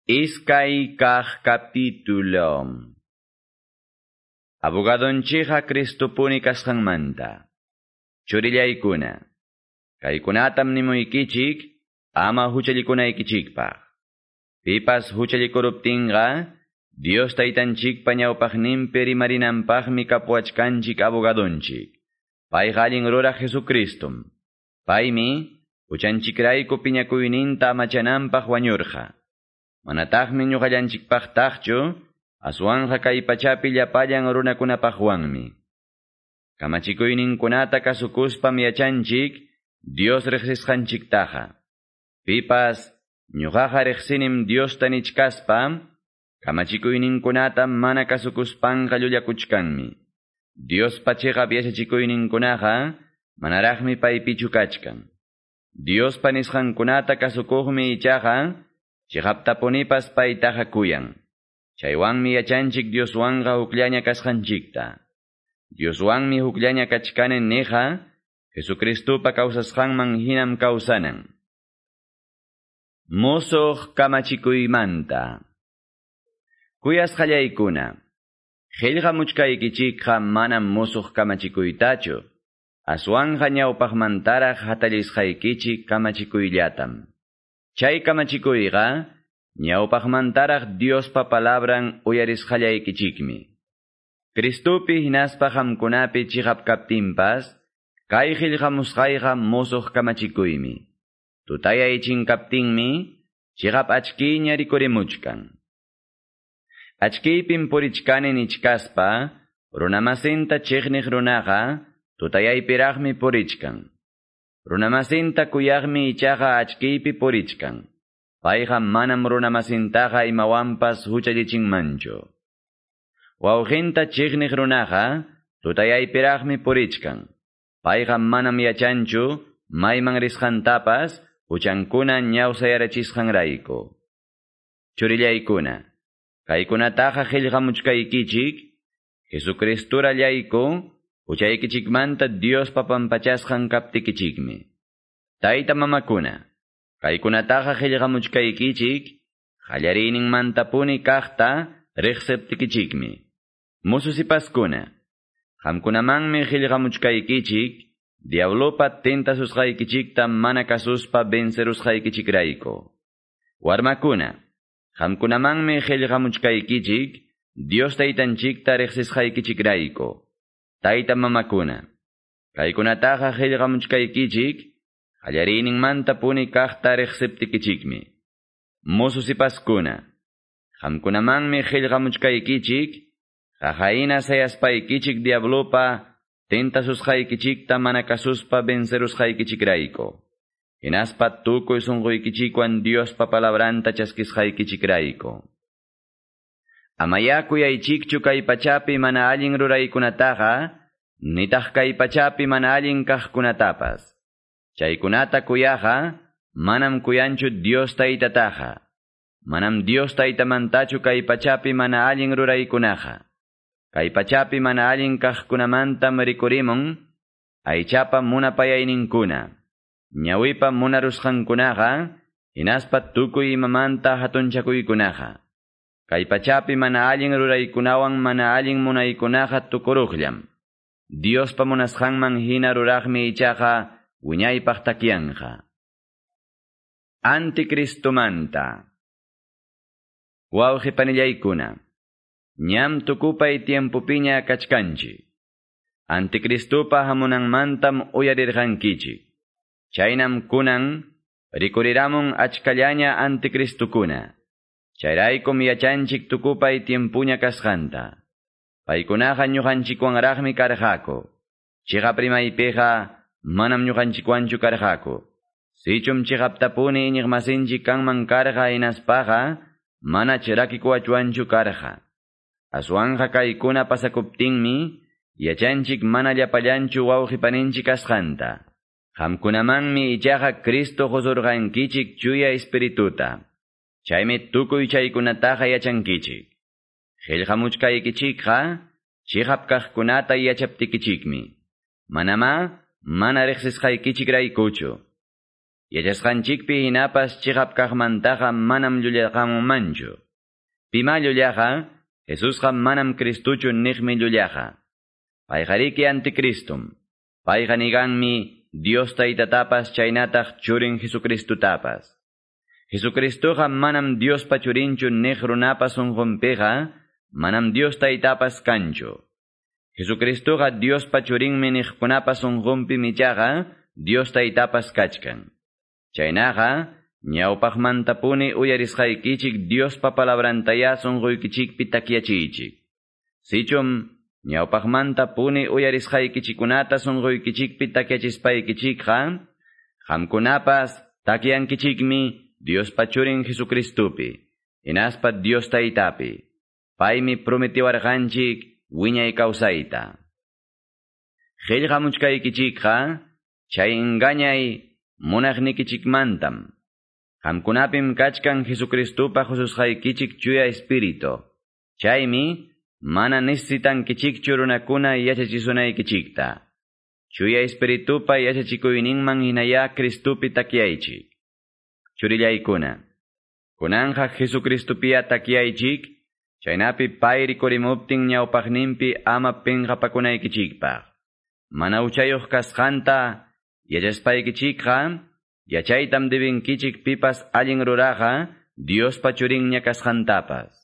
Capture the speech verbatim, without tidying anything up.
Iskay kaq capítulo. Abogadonchikqa Cristopuni kasqanmanta. Churillaykuna. Kaykunatam nimuykichik ama huchallikunaykichikpaq. Pipas huchallikuruptinqa Dios taytanchikpa ñawpaqninpi rimarinanpaqmi kapuwachkanchik abogadonchik. Payqa allin ruraq Jesucristum. Paymi huchanchikrayku piñakuyninta amachananpaq wañurqa. Manataqmi ñuqallanchikpaqtaqchu, aswanqa kay pachapi llapallan runakunapaqwanmi. Kamachikuyninkunata kasukuspam yachanchik Dios riqsisqanchiktaqa. Pipas ñuqaqa riqsinim Diosta nichkaspa, kamachikuyninkunata mana kasukuspanqa llullakuchkanmi. Diospa chiqap yachachikuyninkunaqa manaraqmi paypichu kachkan. Diospa nisqankunata kasukuqmi ichaqa chiqaptapunipas paytaqa kuyan. Chaywanmi yachanchik Dioswanqa hukllaña kasqanchikta. Dioswanmi hukllaña kachkani niqa, Jesucristupa kawsasqanman hinam kawsanan. Musuq kamachikuymanta. Kuyasqallaykuna, qillqamuchkaykichikqa manam musuq kamachikuytachu, aswanqa ñawpaqmantaraq hatallisqaykichik kamachikuyllatam. Chay kamachikuyqa ñawpaqmantaraq Diospa palabran uyarisqallaykichikmi. Cristupi hinaspa qamkunapi chiqap kaptinpas, kay qillqamusqayqa musuq kamachikuymi. Tutayay chinkaptinmi, chiqap achkiyña rikurimuchkan. Achkiypim purichkani nichkaspa, runamasinta chiqniq runaqa, tutayaypiraqmi purichkan. Runamasinta kuyaqmi ichaqa achkiypi purichkan. Payqa manam runamasintaqa imawanpas huchallichinmanchu. Wawqinta chiqniq runaqa tutayaypiraqmi purichkan. Payqa manam yachanchu mayman risqantapas huchankuna ñawsayarachisqanrayku. Churillaykuna, kaykunataqa qillqamuchkaykichik, Jesucristurallayku, huchaykichikmanta Diospa pampachasqan kaptikichikmi. Tayta mamakuna, kaykunataqa qillqamuchkaykichik, qallariyninmantapuni kaqta riqsiptikichikmi. Mususipaskuna, qamkunamanmi qillqamuchkaykichik, diablopa tentasusqaykichikta mana kasuspa vencerusqaykichikrayku. Warmakuna, qamkunamanmi qillqamuchkaykichik, Dios taytanchikta riqsisqaykichikrayku. Tayta mamakuna, kaykunataqa qillqamuchkaykichik, qallariyninmantapuni kaqta riqsiptikichikmi. Mususipaskuna, qamkunamanmi qillqamuchkaykichik, qaqayna sayaspaykichik diablopa tentasusqaykichikta mana kasuspa vencerusqaykichikrayku. Hinaspa tukuy sunquykichikwan Diospa palabranta chaskisqaykichikrayku. Amaya kuyaychikchu kay pachapi mana allin ruraykunataqa, nitaq kay pachapi mana allin kaqkunatapas. Chaykunata kuyaqa, manam kuyanchu Dios taytataqa. Manam Dios taytamantachu kay pachapi mana allin ruraykunaqa. Kay pachapi mana allin kaqkunamantam rikurimun, aychapa munapayayninkuna, ñawipa munarusqankunaqa, hinaspa tukuy imamanta hatunchakuykunaqa. Kay pachapi mana allin ruraykunawan mana allin munaykunaqa tukuruqllam. Diospa munasqanman hina ruraqmi ichaqa wiñaypaq takyanqa. Anticristumanta. Wawqi panillaykuna, ñam tukupay tiempopiña kachkanchik. Anticristupa hamunanmantam uyarirqankichik. Chaynam kunan rikuriramun achkallaña anticristukuna. Chayraykum yachanchik tukupay tiempuña kasqanta. Paykunaqa ñuqanchikwanraqmi karqaku. Chiqap rimaypiqa manam ñuqanchikwanchu karqaku. Sichum chiqaptapuni iñiqmasinchik kanman karqa hinaspaqa mana chirakikuwachwanchu karqa. Aswanqa kaykuna pasakuptinmi yachanchik mana llapallanchu wawqi paninchik kasqanta. Qamkunamanmi ichaqa Cristo qusurqankichik chuya espirituta. Chaymi tukuy chaykunataqa yachankichik. Qillqamuchkaykichikqa chiqap kaqkunata yachaptikichikmi. Manamá mana riqsisqaykichikraykuchu. Yachasqanchikpi hinapas chiqap kaqmantaqa manam llullaqamunmanchu. Pima llullaqa, Jesusqa manam Cristuchu niqmi llullaqa. Payqariki anticristum. Payqa niganmi Dios taytatapas chaynataq churin Jesucristutapas. Jesucristoqa manam Diospa churinchu niq runapa sunqunpiqa, manam Dios taytapas kanchu. Jesucristoqa Diospa churinmi niqkunapa sunqunpi michaqa, Dios taytapas kachkan. Chaynaqa, ñawpaqmantapuni uyarisqaykichik Diospa palabrantaya sunquykichikpi takyachiychik. Sichum ñawpaqmantapuni uyarisqaykichikunata sunquykichikpi takyachispaykichikqa, qamkunapas takyankichikmi Diospa churin Jesucristupi, hinaspa Dios taytapi. Paymi prometiwarqanchik wiñay kawsayta. Qillqamuchkaykichikqa, chay engañay munaqnikichikmantam. Qamkunapim kachkan Jesucristupa hususqaykichik chuya espíritu. Chaymi mana necesitankichikchu runakuna yachachisunaykichikta. Chuya espiritupa yachachikuyninman hinaya Cristupi takyaychik. Churillaykuna. Kunanja Jesucristupiya takyaychik, chaynapi pay rikurimuptin ñawpaqninpi ama pinqapakunaykichikpaq. Mana uchayuq kasqanta yachaspaykichikqa, yachaytam debinkichik pipas allin ruraqa, Diospa churinña kasqantapas.